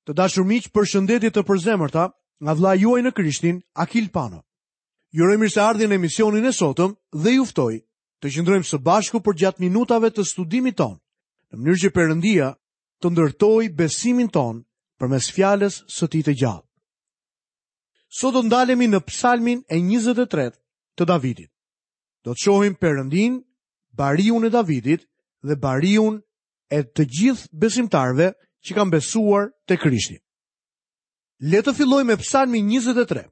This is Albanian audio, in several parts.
Të dashur miq, përshëndetje të përzemërta nga vëllai juaj në Krishtin, Akil Pano. Ju uroj mirëseardhjen në emisionin e sotëm dhe ju ftoj të qëndrojmë së bashku përgjatë minutave të studimit tonë, në mënyrë që Perëndia të ndërtojë besimin tonë përmes fjalës së tij të gjallë. Sot do të ndalemi në Psalmin e 23 të Davidit. Do të shohim Perëndinë, bariun e Davidit dhe bariun e të gjithë besimtarëve që kanë besuar te Krishti. Le të fillojmë me Psalmin 23.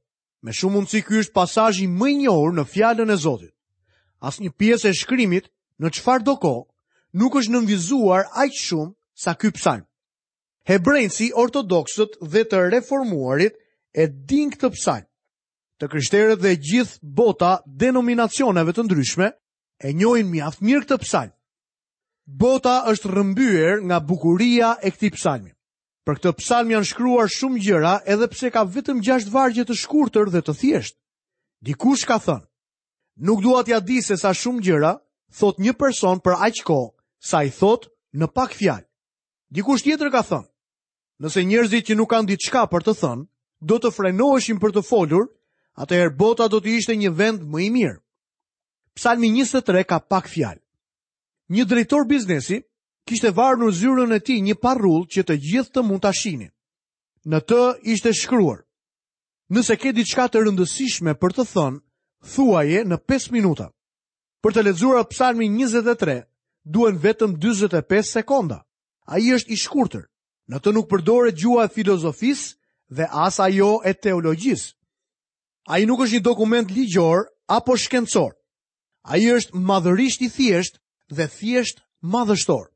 Me shumë mundësi ky është pasazhi më i njohur në fjalën e Zotit. Asnjë pjesë e shkrimit në çfarëdo kohë nuk është nënvizuar aq shumë sa ky psalm. Hebrenjtë si ortodoksët dhe të reformuarit e dinë këtë psalm. Të krishterët dhe gjithë bota denominacioneve të ndryshme e njohin mjaft mirë këtë psalm. Bota është rrëmbyer nga bukuria e këtij psalmi. Për këtë psalm janë shkruar shumë gjëra edhe pse ka vetëm 6 vargje të shkurtër dhe të thjeshtë. Dikush ka thënë, nuk dua t'ia di se sa shumë gjëra thotë një person për aq kohë sa i thotë në pak fjalë. Dikush tjetër ka thënë, nëse njerëzit që nuk kanë diçka për të thënë, do të frenoheshin për të folur, atëherë bota do të ishte një vend më i mirë. Psalmi 23 ka pak fjalë. Një drejtor biznesi kishte varur në zyrën e tij një parrullë që të gjithë të mund ta shihnin. Në të ishte shkruar: Nëse ke diçka të rëndësishme për të thënë, thuaje në 5 minuta. Për të lexuar Psalmin 23, duhen vetëm 45 sekonda. Ai është i shkurtër. Në të nuk përdoret gjuha e filozofisë dhe as ajo e teologjisë. Ai nuk është një dokument ligjor apo shkencor. Ai është madhërisht i thjeshtë dhe thjesht madhështor.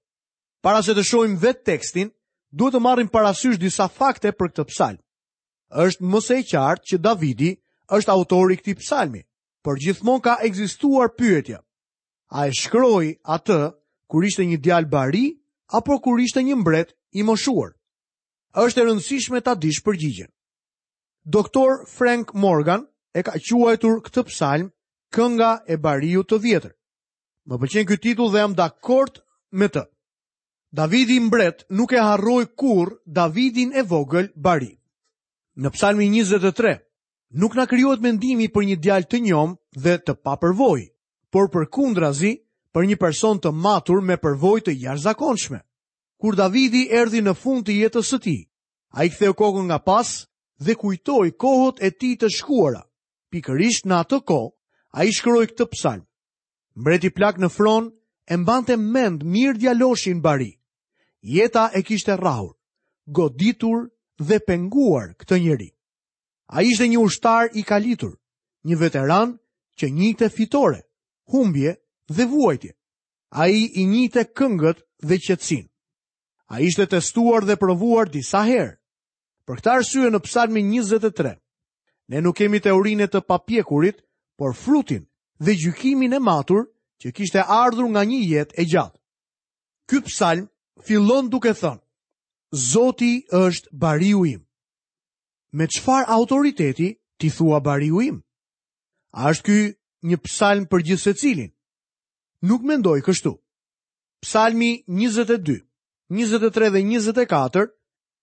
Para se të shohim vetë tekstin, duhet të marrim parasysh disa fakte për këtë psalm. Është më se e qartë që Davidi është autori i këtij psalmi, por gjithmonë ka ekzistuar pyetja. A e shkroi atë kur ishte një djalë bari apo kur ishte një mbret i moshuar? Është e rëndësishme ta dish përgjigjen. Doktor Frank Morgan e ka quajtur këtë psalm Kënga e Bariut të Vjetër. Më pëlqen ky titull dhe jam dakord me të. Davidi mbret nuk e harroi kurrë Davidin e vogël bari. Në psalmin 23 nuk na krijohet mendimi për një djalë të njomë dhe të papërvojë, por përkundrazi për një person të matur me përvojë të jashtëzakonshme. Kur Davidi erdhi në fund të jetës së tij, Ai ktheu kokën nga pas dhe kujtoi kohët e tij të shkuara. Pikërisht në atë kohë, ai shkroi këtë psalm. Mbreti plak në fron e mbante mend mirë djaloshin bari. Jeta e kishte rrahur, goditur dhe penguar këtë njeri. Ai ishte një ushtar i kalitur, një veteran që njihte fitore, humbje dhe vuajtje. Ai i njihte këngët dhe qetësinë. Ai ishte testuar dhe provuar disa herë. Për këtë arsye në Psalmin 23, ne nuk kemi teorinë e të papjekurit, por frutin dhe gjykimin e matur që kishte ardhur nga një jetë e gjatë. Ky psalm fillon duke thënë: Zoti është bariu im. Me çfarë autoriteti ti thua bariu im? A është ky një psalm për gjithsecilin? Nuk mendoj kështu. Psalmi 22, 23 dhe 24,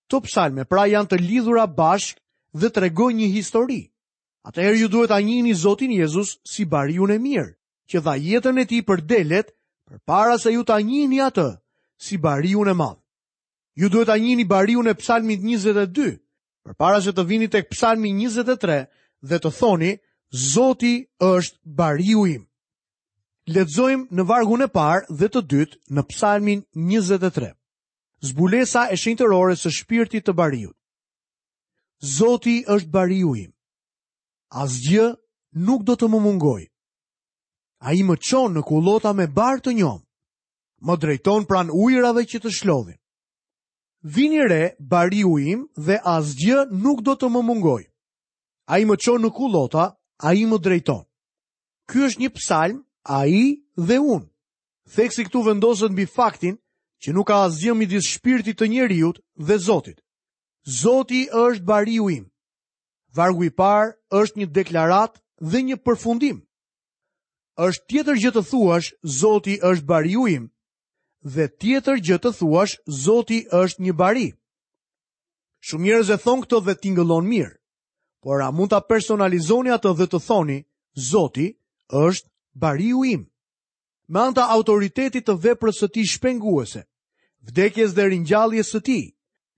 këto psalme pra janë të lidhura bashkë dhe tregojnë një histori. Atëherë ju duhet ta njihni Zotin Jezus si bariun e mirë, që dha jetën e tij për delet, përpara se ju ta njihni atë si bariun e madh. Ju duhet ta njihni bariun e psalmit 22, përpara se të vini tek psalmi 23 dhe të thoni, Zoti është bariu im. Lexojmë në vargun e parë dhe të dytë në psalmin 23. Zbulesa e shenjtërores së shpirtit të bariut. Zoti është bariu im. Asgjë nuk do të më mungojë. Ai më çon në kullota me bar të njomë. Më drejton pranë ujërave që të shlodhin. Vini re bariu im dhe asgjë nuk do të më mungojë. Ai më çon në kullota, ai më drejton. Ky është një psalm, ai dhe unë. Theksi këtu vendoset mbi faktin që nuk ka asgjë midis shpirtit të njeriut dhe Zotit. Zoti është bariu im. Vargu i parë është një deklaratë dhe një përfundim. Është tjetër gjë të thuash Zoti është bariu im dhe tjetër gjë të thuash Zoti është një bari. Shumë njerëz e thonë këtë dhe tingëllon mirë. Por a mund ta personalizoni atë dhe të thoni, Zoti është bariu im. Me anë të autoritetit të veprës së tij shpenguese, vdekjes dhe ringjalljes së tij,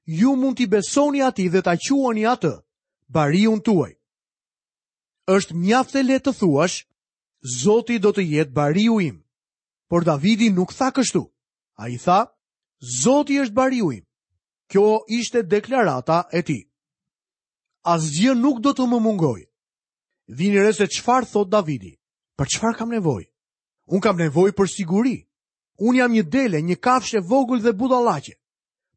ju mund t'i besoni atij dhe ta quani atë bariun tuaj. Është mjaft e lehtë të thuash, Zoti do të jetë bariu im. Por Davidi nuk tha kështu. Ai tha, Zoti është bariu im. Kjo ishte deklarata e tij. Asgjë nuk do të më mungojë. Vini re se çfarë thotë Davidi. Për çfarë kam nevojë? Unë kam nevojë për siguri. Unë jam një dele, një kafshë e vogël dhe budallaqe.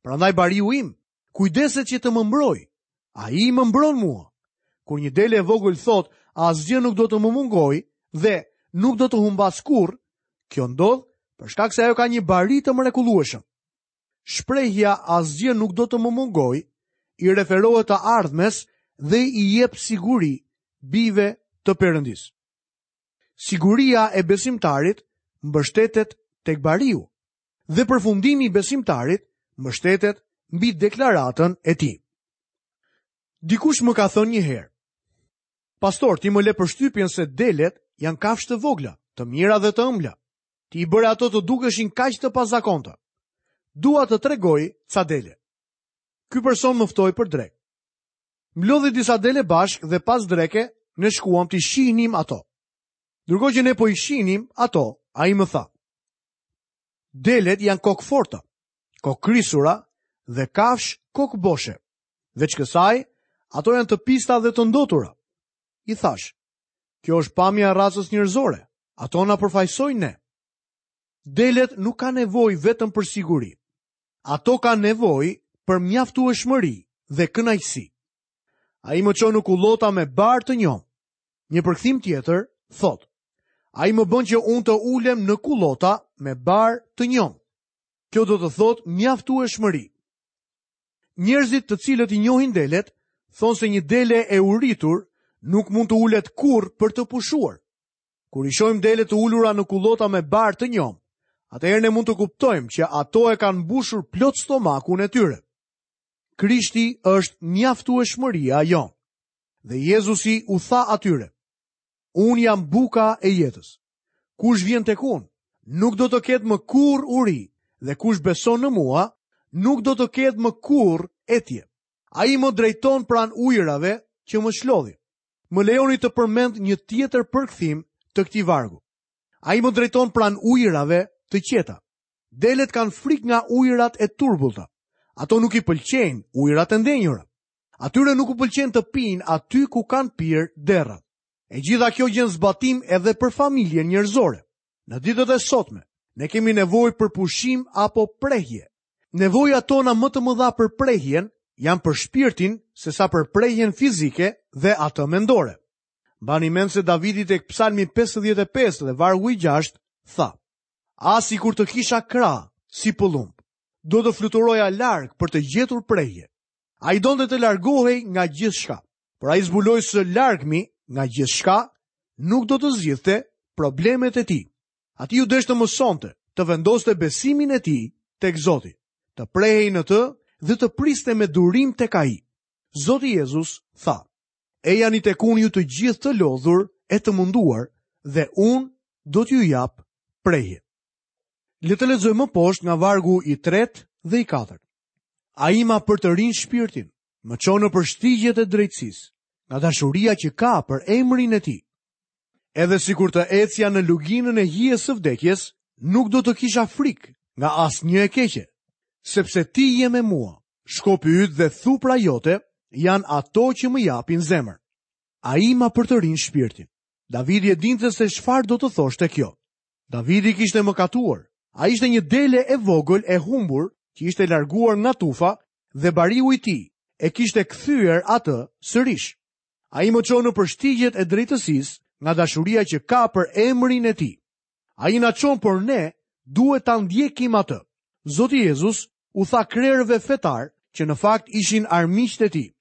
Prandaj bariu im kujdeset që të më mbrojë. Ai më mbron mua. Kur një dele e vogël thotë, asgjë nuk do të më mungojë dhe nuk do të humbas kurrë, kjo ndodh për shkak se ajo ka një bari të mrekullueshëm. Shprehja asgjë nuk do të më mungojë i referohet të ardhmes dhe i jep siguri bijve të Perëndisë. Siguria e besimtarit mbështetet tek bariu dhe përfundimi i besimtarit mbështetet mbi deklaratën e tij. Dikush më ka thënë një herë, Pastor, ti më le përshtypjen se delet janë kafshë të vogla, të mira dhe të ëmbla. Ti i bëre ato të dukeshin kaq të pazakonta. Dua të tregoj ca dele. Ky person më ftoi për drekë. Mblodhi disa dele bashkë dhe pas dreke ne shkuam t'i shihnim ato. Ndërkohë që ne po i shihnim ato, ai më tha: Delet janë kokëforta, kokëkrisura dhe kafshë kokëboshe. Veç kësaj, ato janë të pista dhe të ndotura. I thashë, kjo është pamja e racës njerëzore. Ato na përfaqësojnë ne. Delet nuk kanë nevojë vetëm për siguri. Ato kanë nevojë për mjaftueshmëri dhe kënaqësi. Ai më çon në kullota me bar të njomë. Një përkthim tjetër thotë: Ai më bën që unë të ulem në kullota me bar të njomë. Kjo do të thotë mjaftueshmëri. Njerëzit të cilët i njohin delet, thonë se një dele e uritur nuk mund të ulet kurrë për të pushuar. Kur i shohim delet të ulura në kullota me bar të njomë, atëherë ne mund të kuptojmë që ato e kanë mbushur plot stomakun e tyre. Krishti është mjaftueshmëria jonë. Dhe Jezusi u tha atyre, Unë jam buka e jetës. Kush vjen tek unë, nuk do të ketë më kurrë uri, dhe kush beson në mua, nuk do të ketë më kurrë etje. Ai më drejton pranë ujërave që më çlodhin. Më lejoni të përmend një tjetër përkthim të këtij vargu. Ai më drejton pranë ujërave të qeta. Delet kanë frikë nga ujërat e turbullta. Ato nuk i pëlqejnë ujërat e ndenjura. Atyre nuk u pëlqen të pinë aty ku kanë pirë derrat. E gjitha kjo gjen zbatim edhe për familjen njerëzore. Në ditët e sotme, ne kemi nevojë për pushim apo prehje. Nevojat tona më të mëdha për prehjen janë për shpirtin sesa për prehjen fizike dhe atë mendore. Mbani mend se Davidi tek Psalmi 55 dhe vargu i 6 tha: Ah sikur të kisha krahë si pëllumb, do të fluturoja larg për të gjetur prehje. Ai donte të largohej nga gjithçka, por ai zbuloi se largimi nga gjithçka nuk do të zgjidhte problemet e tij. Atij iu desh të mësonte, të vendoste besimin e tij tek Zoti, të prehej në të dhe të priste me durim tek ai. Zoti Jezus tha: Ejani tek unë ju të gjithë të lodhur e të munduar dhe unë do t'ju jap prehje. Le të lexojmë më poshtë nga vargu i tretë dhe i katërt. Ai ma përtërin shpirtin, më çon nëpër shtigjet e drejtësisë, nga dashuria që ka për emrin e tij. Edhe sikur të ecja në luginën e hijes së vdekjes, nuk do të kisha frikë nga asnjë e keqe, sepse ti je me mua, shkopi yt dhe thupra jote janë ato që më japin zemër. Ai ma përtërin shpirtin. Davidi e dinte se çfarë do të thoshte kjo. Davidi kishte mëkatuar. Ai ishte një dele e vogël e humbur që ishte larguar nga tufa dhe bariu i tij e kishte kthyer atë sërish. Ai më çon nëpër shtigjet e drejtësisë nga dashuria që ka për emrin e tij. Ai na çon, por ne duhet ta ndjekim atë. Zoti Jezus u tha krerëve fetarë që në fakt ishin armiqtë e tij.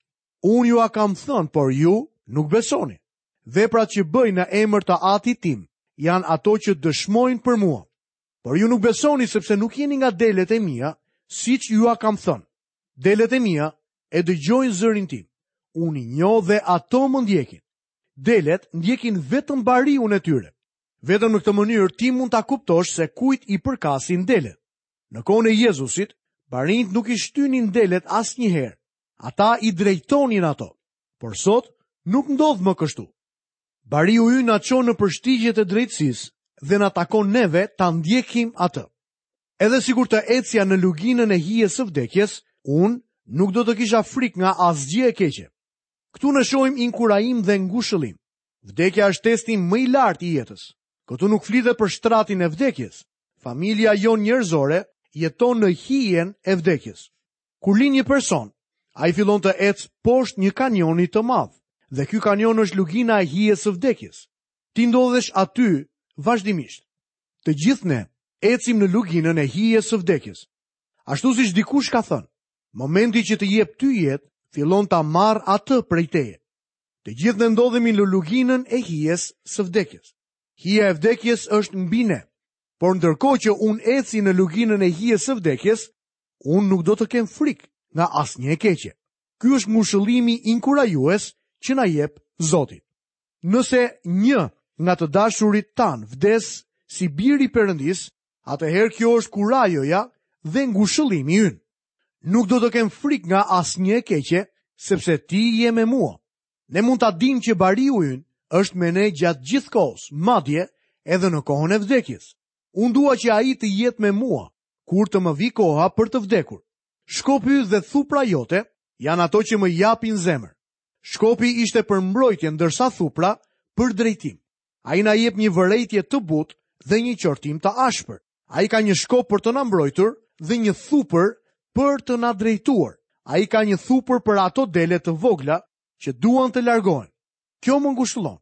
Unë jua kam thënë, por ju nuk besoni. Veprat që bëj në emër të Atit tim janë ato që dëshmojnë për mua. Por ju nuk besoni sepse nuk jeni nga delet e mia, siç jua kam thënë. Delet e mia. e dëgjojnë zërin tim. Unë i njoh dhe ato më ndjekin. Delet ndjekin vetëm bariun e tyre. Vetëm në këtë mënyrë ti mund ta kuptosh se kujt i përkasin delet. Në kohën e Jezusit, barinjtë nuk i shtynin delet asnjëherë. Ata i drejtonin ato. Por sot nuk ndodh më kështu. Bariu ynë na çon nëpër shtigjet e drejtësisë dhe na takon neve ta ndjekim atë. Edhe sikur të ecja në luginën e hijes së vdekjes, unë nuk do të kisha frikë nga asgjë e keqe. Këtu ne shohim inkurajim dhe ngushëllim. Vdekja është testi më i lartë i jetës. Këtu nuk flitet për shtratin e vdekjes. Familja jonë njerëzore jeton në hijen e vdekjes. Kur lind një person, ai fillon të ecë poshtë një kanioni të madh, dhe ky kanion është lugina e hijes së vdekjes. Ti ndodhesh aty vazhdimisht. Të gjithë ne ecim në luginën e hijes së vdekjes. Ashtu siç dikush ka thënë, momenti që të jep ty jetë, fillon ta marrë atë prej teje. Të gjithë ne ndodhemi në luginën e hijes së vdekjes. Hija e vdekjes është mbi ne. Por ndërkohë që unë eci në luginën e hijes së vdekjes, unë nuk do të kem frikë nga asnjë e keqe. Ky është ngushëllimi inkurajues që na jep Zoti. Nëse një nga të dashurit tanë vdes si bir i Perëndisë, atëherë kjo është kurajoja dhe ngushëllimi ynë. Nuk do të kem frikë nga asnjë e keqe, sepse ti je me mua. Ne mund ta dimë që bariu ynë është me ne gjatë gjithë kohës, madje edhe në kohën e vdekjes. Unë dua që ai të jetë me mua, kur të më vijë koha për të vdekur. Shkopi yt dhe thupra jote janë ato që më japin zemër. Shkopi ishte për mbrojtje, ndërsa thupra për drejtim. Ai na jep një vërejtje të butë dhe një qortim të ashpër. Ai ka një shkop për të na mbrojtur dhe një thupër për të na drejtuar. Ai ka një thupër për ato dele të vogla që duan të largohen. Kjo më ngushëllon.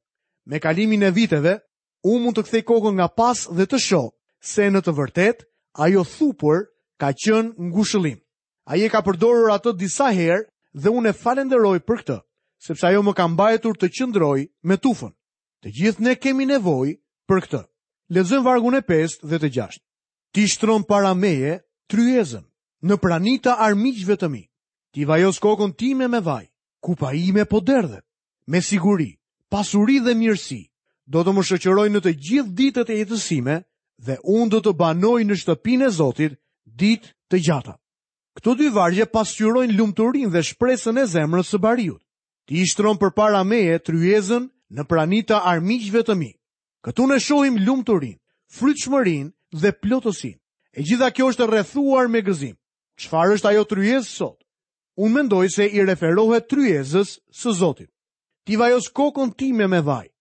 Me kalimin e viteve, unë mund të kthej kokën nga pas dhe të shoh se në të vërtetë ajo thupër ka qenë ngushëllim. Ai e ka përdorur atë disa herë dhe unë e falënderoj për këtë, sepse ajo më ka mbajtur të qëndroj me tufën. Të gjithë ne kemi nevojë për këtë. Lexojmë vargun e 5 dhe të 6. Ti shtron para meje tryezën, në prani të armiqve të mi. Ti vajos kokën time me vaj, kupa ime po derdhet. Me siguri, pasuri dhe mirësi do të më shoqërojnë në të gjithë ditët e jetës sime dhe unë do të banoj në shtëpinë e Zotit ditë të gjata. Këto dy vargje pasqyrojnë lumturinë dhe shpresën e zemrës së bariut. Ti shtron përpara meje tryezën në prani të armiqve të mi. Këtu ne shohim lumturinë, frytshmërinë dhe plotësinë. E gjitha kjo është e rrethuar me gëzim. Çfarë është ajo tryezë sot? Unë mendoj se i referohet tryezës së Zotit. Ti vajos kokën time me vaj.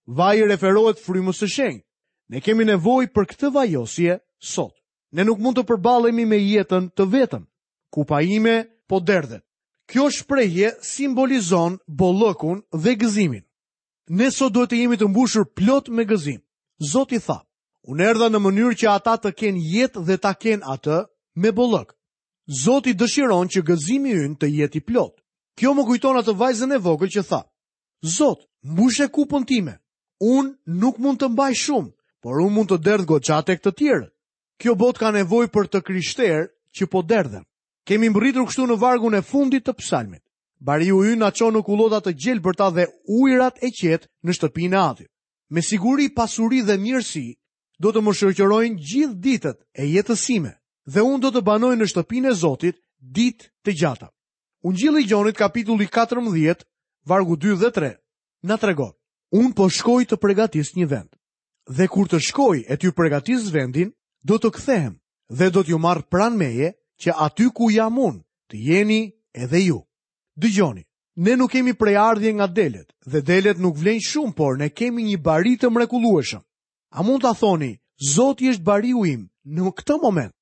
Vaji i referohet frymës së shenjtë. Ne kemi nevojë për këtë vajosje sot. Ne nuk mund të përballemi me jetën të vetëm. Kupa ime po derdhet. Kjo shprehje simbolizon bollëkun dhe gëzimin. Ne sot duhet të jemi të mbushur plot me gëzim. Zoti tha, unë erdha në mënyrë që ata të kenë jetë dhe ta kenë atë me bollëk. Zoti dëshiron që gëzimi ynë të jetë i plotë. Kjo më kujton atë vajzën e vogël që tha, Zot, mbushe kupën time. Unë nuk mund të mbaj shumë, por unë mund të derdh goxha tek të tjerët. Kjo botë ka nevojë për të krishterë që po derdhen. Kemi mbërritur kështu në vargun e fundit të psalmit. Bariu ynë na çon në kullota të gjelbërta dhe ujërat e qetë në shtëpinë e Atit. Me siguri pasuri dhe mirësi do të më shoqërojnë gjithë ditët e jetës sime dhe unë do të banoj në shtëpinë e Zotit ditë të gjata. Ungjilli i Gjonit kapitulli 14, vargu 2 dhe 3, na tregon. Unë po shkoj të pregatis një vend. Dhe kur të shkoj e t'ju pregatis vendin, do të kthehem dhe do t'ju marr pranë meje, që aty ku jam unë, të jeni edhe ju. Dëgjoni, ne nuk kemi prejardhje nga delet, dhe delet nuk vlejnë shumë, por ne kemi një bari të mrekullueshëm. A mund ta thoni, Zoti është bariu im në këtë moment?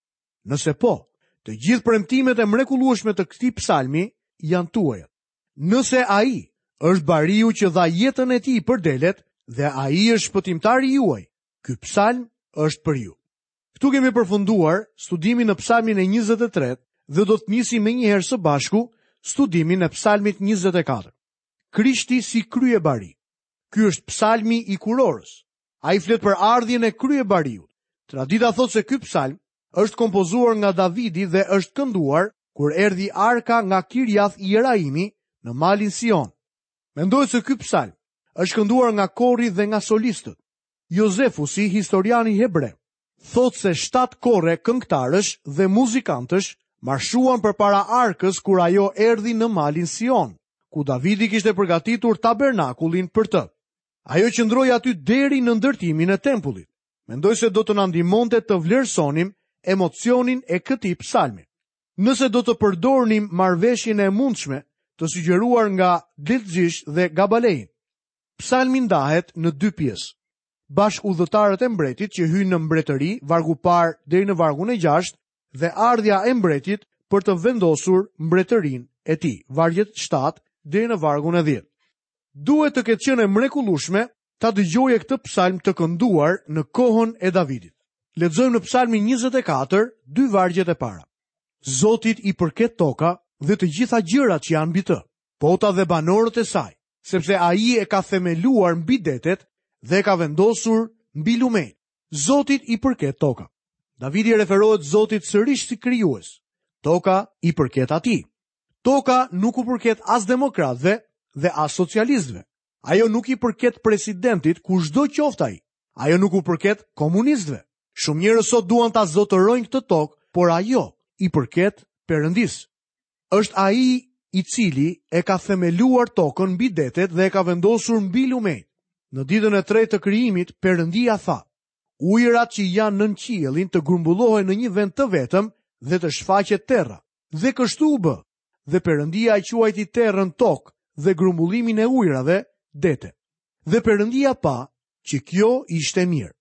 Nëse po, të gjithë premtimet e mrekullueshme të këtij psalmi janë tuajat. Nëse ai është bariu që dha jetën e tij për delet dhe ai është shpëtimtari juaj, ky psalm është për ju. Këtu kemi përfunduar studimin në psalmin e 23 dhe do të nisim menjëherë së bashku studimin e psalmit 24. Krishti si kryebari. Ky është psalmi i kurorës. Ai flet për ardhjen e kryebariut. Tradita thotë se ky psalm është kompozuar nga Davidi dhe është kënduar. kur erdhi arka nga Kirjath Jeraimi në malin Sion. Mendohet se ky psalm është kënduar nga kori dhe nga solistët. Jozefusi, historiani hebre, thotë se shtatë kore këngëtarësh dhe muzikantësh marshuan përpara arkës kur ajo erdhi në malin Sion, ku Davidi kishte përgatitur tabernakullin për të. Ajo qëndroi aty deri në ndërtimin e tempullit. Mendoj se do të na ndihmonte të vlerësonim emocionin e këtij psalmi. Nëse do të përdornim marrëveshjen e mundshme të sugjeruar nga Delitzsch dhe Gabalein. Psalmi ndahet në dy pjesë. Bashkudhëtarët e mbretit që hyjnë në mbretëri, vargu i parë deri në vargun e gjashtë, dhe ardhja e mbretit për të vendosur mbretërinë e tij, vargjet 7 deri në vargun e 10. Duhet të ketë qenë e mrekullueshme ta dëgjoje këtë psalm të kënduar në kohën e Davidit. Lexojmë në psalmin 24, dy vargjet e para. Zotit i përket toka dhe të gjitha gjërat që janë mbi të, bota dhe banorët e saj, sepse ai e ka themeluar mbi detet dhe e ka vendosur mbi lumenjtë. Zotit i përket toka. Davidi i referohet Zotit sërish si krijues. Toka i përket atij. Toka nuk u përket as demokratëve dhe as socialistëve. Ajo nuk i përket presidentit kushdo qoftë ai. Ajo nuk u përket komunistëve. Shumë njerëz sot duan ta zotërojnë këtë tokë, por ajo i përket Perëndisë. Është ai i cili e ka themeluar tokën mbi detet dhe e ka vendosur mbi lumenjtë. Në ditën e tretë të krijimit, Perëndia tha: Ujërat që janë nën qiellin të grumbullohen në një vend të vetëm dhe të shfaqet terra. Dhe kështu u bë. Dhe Perëndia e quajti terrën tokë dhe grumbullimin e ujërave dete. Dhe Perëndia pa që kjo ishte mirë.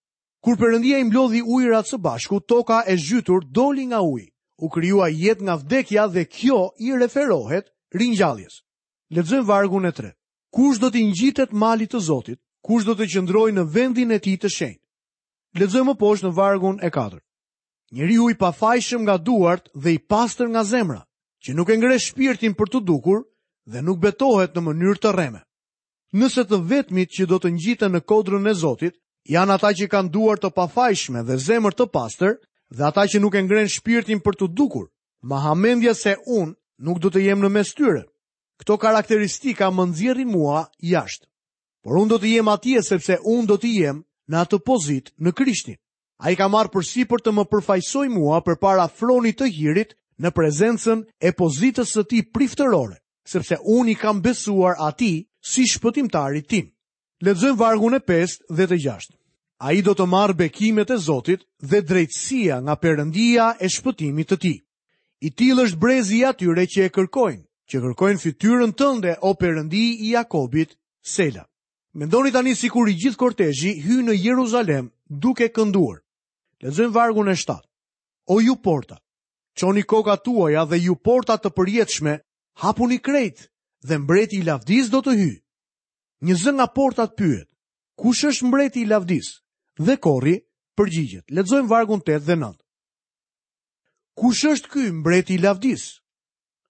Kur Perëndia i mblodhi ujërat së bashku, toka e zhytur doli nga uji. U krijua jetë nga vdekja dhe kjo i referohet ringjalljes. Lexojmë vargun e tretë. Kush do t'i ngjitet malit të Zotit? Kush do të qëndrojë në vendin e tij të shenjtë? Lexojmë më poshtë në vargun e katërt. Njeriu i pafajshëm nga duart dhe i pastër nga zemra, që nuk e ngre shpirtin për t'u dukur dhe nuk betohet në mënyrë të rreme. Nëse të vetmit që do të ngjiten në kodrën e Zotit janë ata që kanë duar të pafajshme dhe zemër të pastër dhe ata që nuk e ngrenë shpirtin për t'u dukur, më ha mendja se unë nuk do të jem në mes tyre. Këto karakteristika më nxjerrin mua jashtë. Por unë do të jem atje sepse unë do të jem në atë pozitë në Krishtin. Ai ka marrë përsipër të më përfaqësojë mua përpara fronit të hirit në prezencën e pozitës së tij priftërore, sepse unë i kam besuar atij si shpëtimtarit tim. Lexojmë vargun e 5 dhe të 6. Ai do të marrë bekimet e Zotit dhe drejtësia nga Perëndia e shpëtimit të tij. I tillë është brezi i atyre që e kërkojnë, që kërkojnë fytyrën tënde, o Perëndi i Jakobit, Sela. Mendoni tani sikur i gjithë kortezhi hyn në Jeruzalem duke kënduar. Lexojmë vargun e 7. O ju porta, çoni kokat tuaja dhe ju porta të përjetshme, hapuni krejt dhe mbreti i lavdisë do të hyjë. Një zë nga portat pyet, kush është mbreti i lavdisë? Dhe kori përgjigjet. Lexojmë vargun 8 dhe 9. Kush është ky mbreti i lavdisë?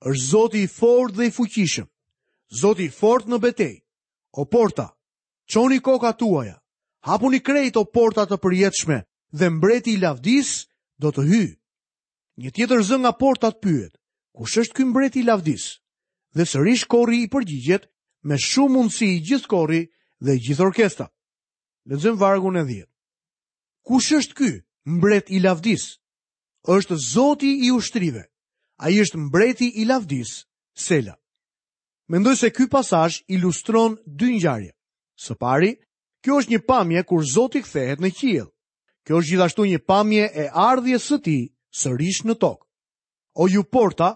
Është Zoti i fortë dhe i fuqishëm. Zoti i fortë në betejë. O porta, çoni kokat tuaja, hapuni krejt o porta të përjetshme dhe mbreti i lavdisë do të hyjë. Një tjetër zë nga portat pyet, kush është ky mbreti i lavdisë? Dhe sërish kori i përgjigjet me shumë mundësi i gjithë kori dhe i gjithë orkestra. Lexojmë vargun e 10. Kush është ky mbret i lavdisë? Është Zoti i ushtrive. Ai është mbreti i lavdisë, Sela. Mendoj se ky pasazh ilustron dy ngjarje. Së pari, kjo është një pamje kur Zoti kthehet në qiell. Kjo është gjithashtu një pamje e ardhjes së tij sërish në tokë. O ju porta,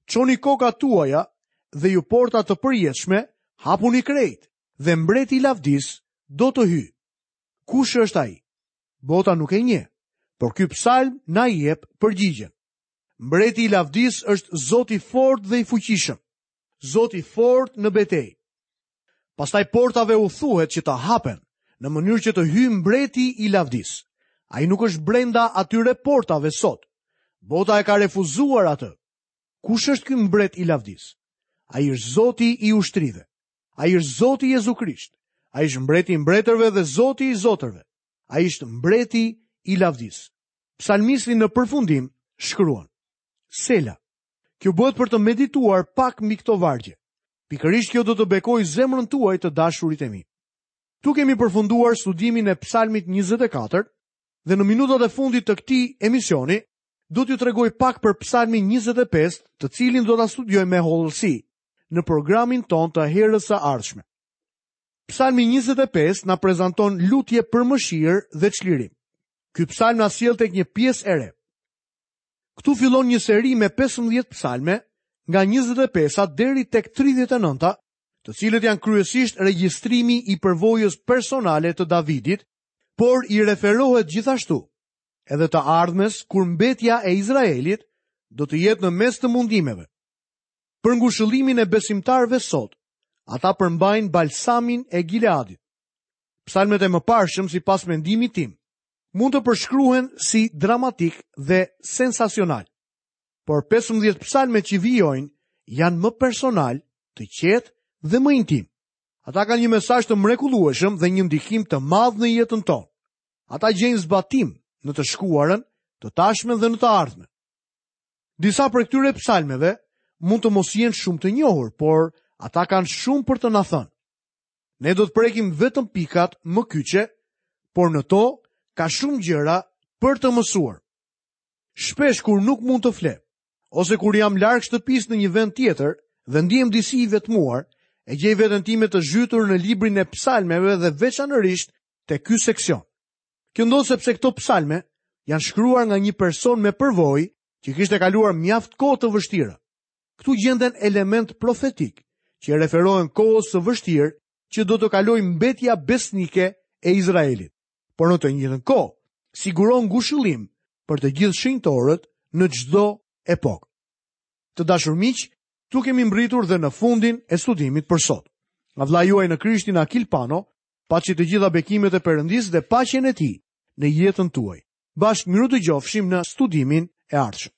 çoni kokat tuaja dhe ju porta të përjetshme, hapuni krejt dhe mbreti i lavdisë do të hyjë. Kush është ai? Bota nuk e njeh, por ky psalm na jep përgjigjen. Mbreti i lavdisë është Zoti i fortë dhe i fuqishëm. Zoti i fortë në betejë. Pastaj portave u thuhet që të hapen, në mënyrë që të hyjë mbreti i lavdisë. Ai nuk është brenda atyre portave sot. Bota e ka refuzuar atë. Kush është ky mbret i lavdisë? Ai është Zoti i ushtrive. Ai është Zoti Jezu Krisht. Ai është mbreti i mbretërve dhe Zoti i zotërve. Ai është mbreti i lavdisë. Psalmisti në përfundim shkruan: Sela. Kjo bëhet për të medituar pak mbi këto vargje. Pikërisht kjo do të bekojë zemrën tuaj të dashurit e mi. Këtu kemi përfunduar studimin e Psalmit 24 dhe në minutat e fundit të këtij emisioni do t'ju tregoj pak për Psalmin 25, të cilin do ta studiojmë me hollësi në programin tonë të herës së ardhshme. Psalmi 25 na prezanton lutje për mëshirë dhe çlirim. Ky psalm na sjell tek një pjesë e re. Këtu fillon një seri me 15 psalme, nga 25-a deri tek 39-a, të cilët janë kryesisht regjistrimi i përvojës personale të Davidit, por i referohet gjithashtu edhe të ardhmes kur mbetja e Izraelit do të jetë në mes të mundimeve. Për ngushëllimin e besimtarëve sot, ata përmbajnë balsamin e Gileadit. Psalmet e mëparshëm sipas mendimit tim, mund të përshkruhen si dramatik dhe sensacional. Por 15 psalmet që vijojnë janë më personal, të qetë dhe më intim. Ata kanë një mesazh të mrekullueshëm dhe një ndikim të madh në jetën tonë. Ata gjejnë zbatim në të shkuarën, të tashmen dhe në të ardhmen. Disa prej këtyre psalmeve mund të mos jenë shumë të njohur, por ata kanë shumë për të na thënë. Ne do të prekim vetëm pikat më kyçe, por në to ka shumë gjëra për të mësuar. Shpesh kur nuk mund të fle, ose kur jam larg shtëpisë në një vend tjetër dhe ndihem disi i vetmuar, e gjej veten time të zhytur në librin e psalmeve dhe veçanërisht te ky seksion. Kjo ndodh sepse këto psalme janë shkruar nga një person me përvojë që kishte kaluar mjaft kohë të vështira. Këtu gjenden elementë profetikë që i referohen kohës së vështirë që do të kalojë mbetja besnike e Izraelit. Por në të njëjtën kohë, siguron ngushëllim për të gjithë shenjtorët në çdo epokë. Të dashur miq, këtu kemi mbërritur dhe në fundin e studimit për sot. Nga vëllai juaj në Krishtin Akil Pano, paçi të gjitha bekimet e Perëndisë dhe paqen e tij në jetën tuaj. Bashkë mirudëgjofshim në studimin e ardhshëm.